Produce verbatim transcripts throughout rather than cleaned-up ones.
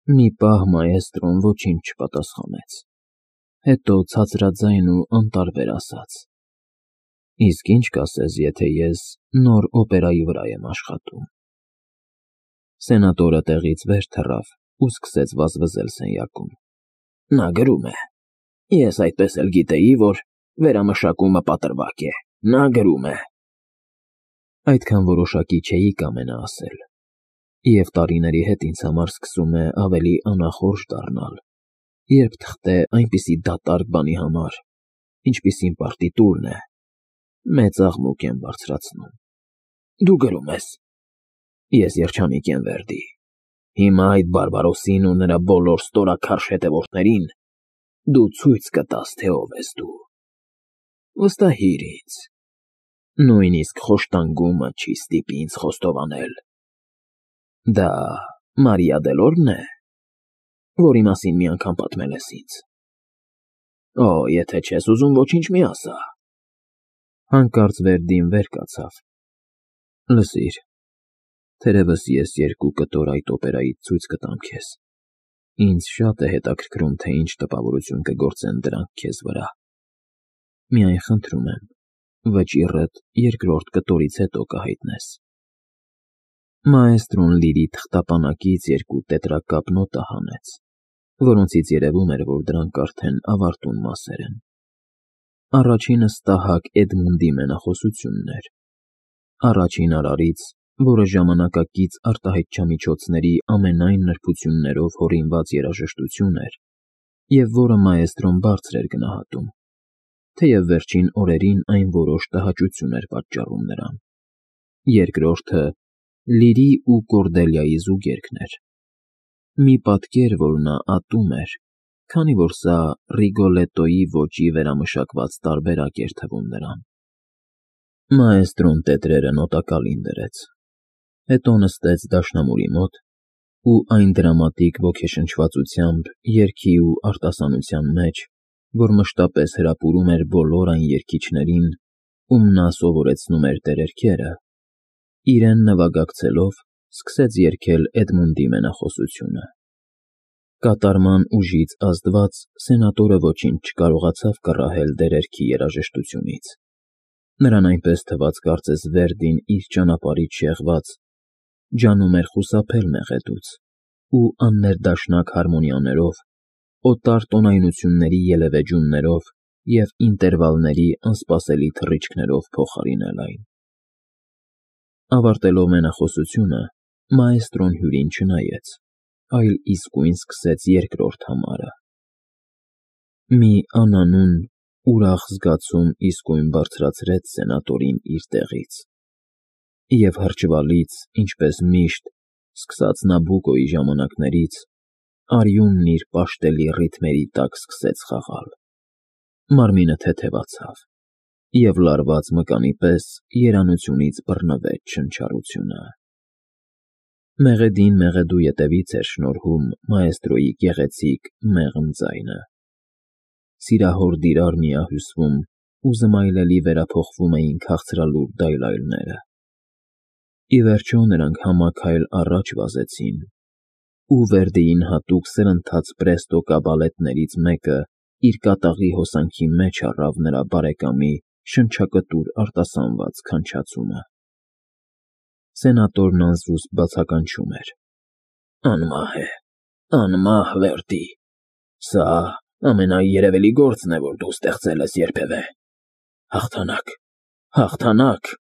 Մի պահ մաեստրոն ոչինչ չպատասխանեց, հետո ցածրաձայն ու անտարբեր ասաց. «Իսկ ի՞նչ կասես, եթե ես նոր օպերայի վրա եմ աշխատում»։ Սենատորը տեղից վեր թռավ ու սկսեց վազվզել սենյակում։ «Նա գրում է, ես այդպես էլ գիտեի, որ վերամշակումը պատրվակ է, նա գրում է»։ Այդքան որոշակի չէի կամենա ասել, և տարիների հետ ինձ համար սկսում է ավելի անախորժ դառնալ, երբ թղթե այնպիսի դատարկ բանի համար, ինչպիսին պարտիտուրն է, մեծ աղմուկ եմ բարձրացնում։ «Դու գրում ես»։ Ես երջանիկ եմ, Վերդի։ Հիմա այդ բարբարոսին ու նրա բոլոր ստորաքարշ հետևորդներին դու ցույց կտաս, թե ով ես դու։ Վստահիր ինձ, նույնիսկ խոշտանգումը չի ստիպի ինձ խոստովանել։ Դա Մարիա Դելորն է, որի մասին մի անգամ պատմել ես ինձ։ Օ, եթե չես ուզում, ոչինչ մի ասա։ Հանկարծ Վերդին վեր կացավ։ Լսիր, թերևս ես երկու կտոր այդ օպերայից ցույց կտամ քեզ։ Ինձ շատ է հետաքրքրում, թե ինչ տպավորություն կգործեն դրանք քեզ վրա։ Միայն խնդրում եմ, վճիռդ երկրորդ կտորից հետո կհայտնես։ Մաեստրոն լիրի թղթապանակից երկու տետրակապ նոտա հանեց, որոնցից երևում էր, որ դրանք արդեն ավարտուն մասեր են։ Առաջինը ստահակ Էդմունդի մենախոսությունն էր։ Առաջին արարից, որը ժամանակակից արտահայտչամիջոցների ամենայն նրբություններով հորինված երաժշտություն էր, և որը մաեստրոն բարձր էր գնահատում, թեև վերջին օրերին այն որոշ տհաճություն էր պատճառում նրան։ Երկրորդը Լիրի ու Կորդելիայի զուգերգն էր։ Մի պատկեր, որ նա ատում էր, քանի որ սա Ռիգոլետոյի ոճի վերամշակված տարբերակ էր թվում նրան։ Մաեստրոն տետրերը նոտակալին դրեց, հետո նստեց դաշնամուրի մոտ ու այն դրամատիկ ոգեշնչվածությամբ երգի ու արտասանության մեջ, որ մշտապես հրապուրում էր բոլոր այն երգիչներին, ում նա սովորեցնում էր տերերքերը, իրեն նվագակցելով սկսեց երգել Էդմունդի մենախոսությունը։ Կատարման ուժից ազդված սենատորը ոչինչ չկարողացավ կռահել տերերքի երաժշտությունից։ Նրան այնպես թվաց, կարծես Վերդին իր ճանապարհից շեղված, ջանում էր խուսափել մեղեդուց ու աններդաշնակ հարմոնիաներով, օտար տոնայնությունների ելևէջումներով և ինտերվալների անսպասելի թռիչքներով փոխարինել այն։ Ավարտելով մենախոսությունը, մաեստրոն հյուրին չնայեց, այլ իսկույն սկսեց երկրորդ համարը։ Մի անանուն, ուրախ զգացում իսկույն բարձրացրեց սենատորին իր տեղից, և հրճվալից, ինչպես միշտ, սկսած Նաբուկոյի ժամանակներից, արյունն իր պաշտելի ռիթմերի տակ սկսեց խաղալ։ Մարմինը թեթևացավ, և լարված մկանի պես երանությունից բռնվեց շնչառությունը։ Մեղեդին մեղեդու ետևից էր շնորհում մաեստրոյի գեղեցիկ, մեղմ ձայնը։ Սիրահոր դիրար միահյուսվում ու զմայլելի վերափոխվում էին քաղցրալուր դայլայլները։ Ի վերջո նրանք համաքայլ առաջ վազեցին, ու Վերդիին հատուկ սրընթաց պրեստո կաբալետներից մեկը իր կատաղի հոսանքի մեջ առավ նրա բարեկամի շնչակտուր արտասանված քանչացումը։ Սենատորն անզուսպ բացականչում էր. Անմահ է, անմահ, Վերդի, սա ամենաերևելի գործն է, որ դու ստեղծել ես երբևէ։ Հաղթանակ, հաղթանակ։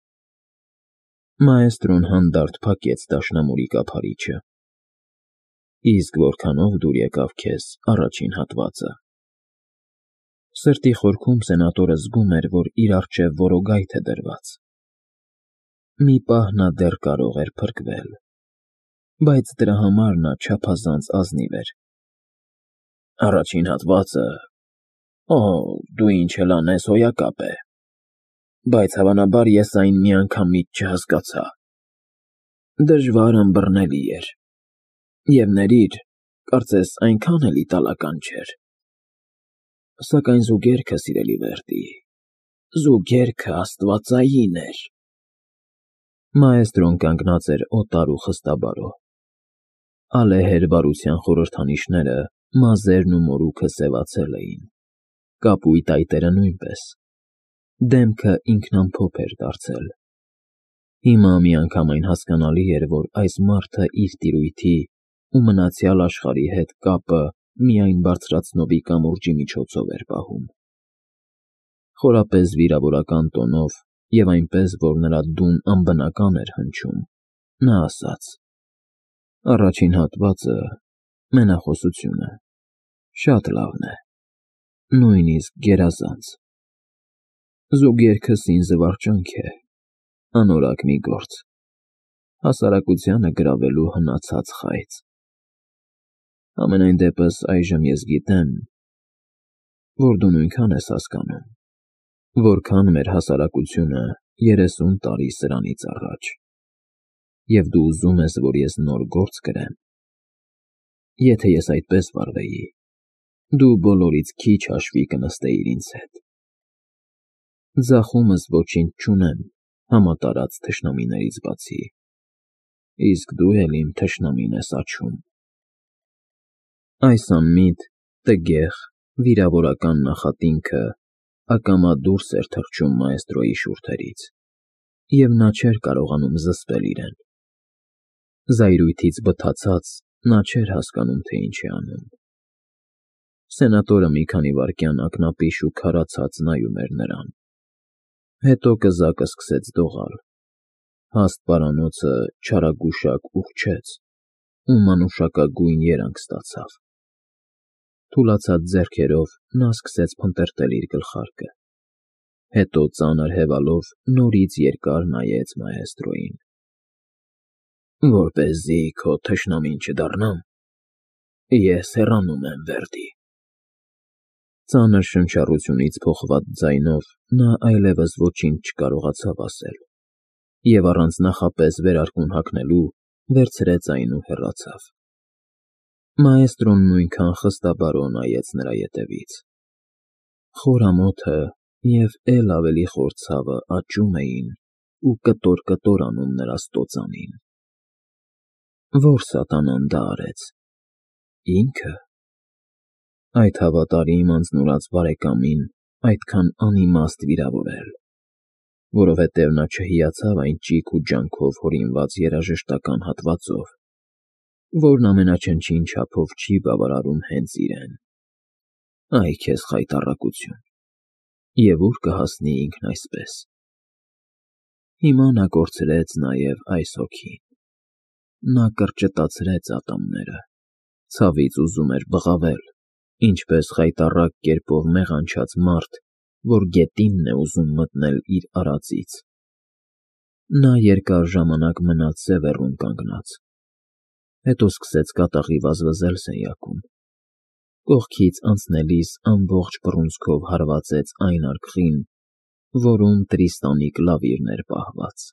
Մաեստրոն հանդարտ փակեց դաշնամուրի կափարիչը։ Իսկ որքանով դուր եկավ քեզ առաջին հատվածը։ Սրտի խորքում սենատորը զգում էր, որ իր առջև որոգայթ է դրված։ Մի պահ նա դեռ կարող էր փրկվել, բայց դրա համար նա չափազանց ազնիվ էր։ Առաջին հատվածը… Օ, դու ինչ էլ անես, հոյակապ է, բայց հավանաբար ես այն միանգամից չհասկացա։ Դժվար ըմբռնելի էր, և ներիր, կարծես այնքան էլ իտալական չէր։ Սակայն զուգերքը, սիրելի Վերդի, զուգերքը աստվածային էր։ Մաեստրոն կանգնած էր օտար ու խստաբարո։ Ալեհեր բարության խորհրդանիշները, մազերն ու մորուքը սևացել էին, կապույտ այտերը նույնպես, դեմքը ինքնամփոփ էր դարձել։ Հիմա միանգամայն հասկանալի էր, որ այս մարդը իր տիրույթի ու մնացյալ աշխարհի հետ կապը միայն բարձրացնովի կամուրջի միջոցով էր պահում։ Խորապես վիրավորական տոնով և այնպես, որ նրա դուն անբնական էր հնչում, նա ասաց. «Առաջին հատվածը մենախոսություն է, շատ լավն է, նույնիսկ գերազանց։ Զուգերգը սին զվարճանք է, անորակ մի գործ, հասարակությանը գրավելու հնացած խայծ։ Համենայն դեպս այժմ ես գիտեմ, որ դու նույնքան ես հասկանում, որքան մեր հասարակությունը երեսուն տարի սրանից առաջ, և դու ուզում ես, որ ես նոր գործ կրեմ։ Եթե ես այդպես վարվեի, դու բոլորից քիչ հաշվի կնստեիր ինձ հետ։ Ձախումս ոչինչ չունեմ համատարած թշնամիներից բացի, իսկ դու էլ իմ թշնամին ես աչում»։ Այս անմիտ, տգեղ, վիրավորական նախատինքը ակամա դուրս էր թռչում մաեստրոյի շուրթերից, և նա չէր կարողանում զսպել իրեն։ Զայրույթից բթացած, նա չէր հասկանում, թե ինչ է անում։ Սենատորը մի քանի վայրկյան ակնապիշ ու քարացած նայում էր նրան, հետո կզակը սկսեց դողալ, հաստ պարանոցը չարագուշակ ուռչեց ու մանուշակագույն երանգ ստացավ։ Թուլացած ձեռքերով նա սկսեց փնտրտել իր գլխարկը, հետո ծանր հևալով նորից երկար նայեց մաեստրոյին։ «Որպեսզի քո թշնամին չդառնամ, ես հեռանում եմ, Վերդի»։ Ծանր շնչառությունից փոխված ձայնով նա այլևս ոչինչ չկարողացավ ասել և առանց նախապես վերարկուն հագնելու վերցրեց այն ու հեռացավ։ Մաեստրոն նույնքան խստաբարո նայեց նրա ետևից։ Խոր ամոթը և էլ ավելի խոր ցավը աճում էին ու կտոր-կտոր անում նրա ստոծանին։ Ո՞ր սատանան դա արեց։ Ի՞նքը։ Այդ հավատարիմ անձնուրաց բարեկամին այդքան անիմաստ վիրավորել, որովհետև նա չհիացավ այն ճիգ ու ջանքով հորինված երաժշտական հատվածով, որն ամենաչնչին չափով չի բավարարում հենց իրեն։ Այ քեզ խայտառակություն, և ուր կհասնի ինքն այսպես։ Հիմա նա կորցրեց նաև այս հոգին։ Նա կրճտացրեց ատամները, ցավից ուզում էր բղավել, ինչպես խայտառակ կերպով մեղանչած մարդ, որ գետինն է ուզում մտնել իր արածից։ Նա երկար ժամանակ մնաց սևեռուն կանգնած, հետո սկսեց կատաղի վազվզել սենյակում, կողքից անցնելիս ամբողջ բռունցքով հարվածեց այն արկղին, որում Տրիստանի կլավիրն էր պահված։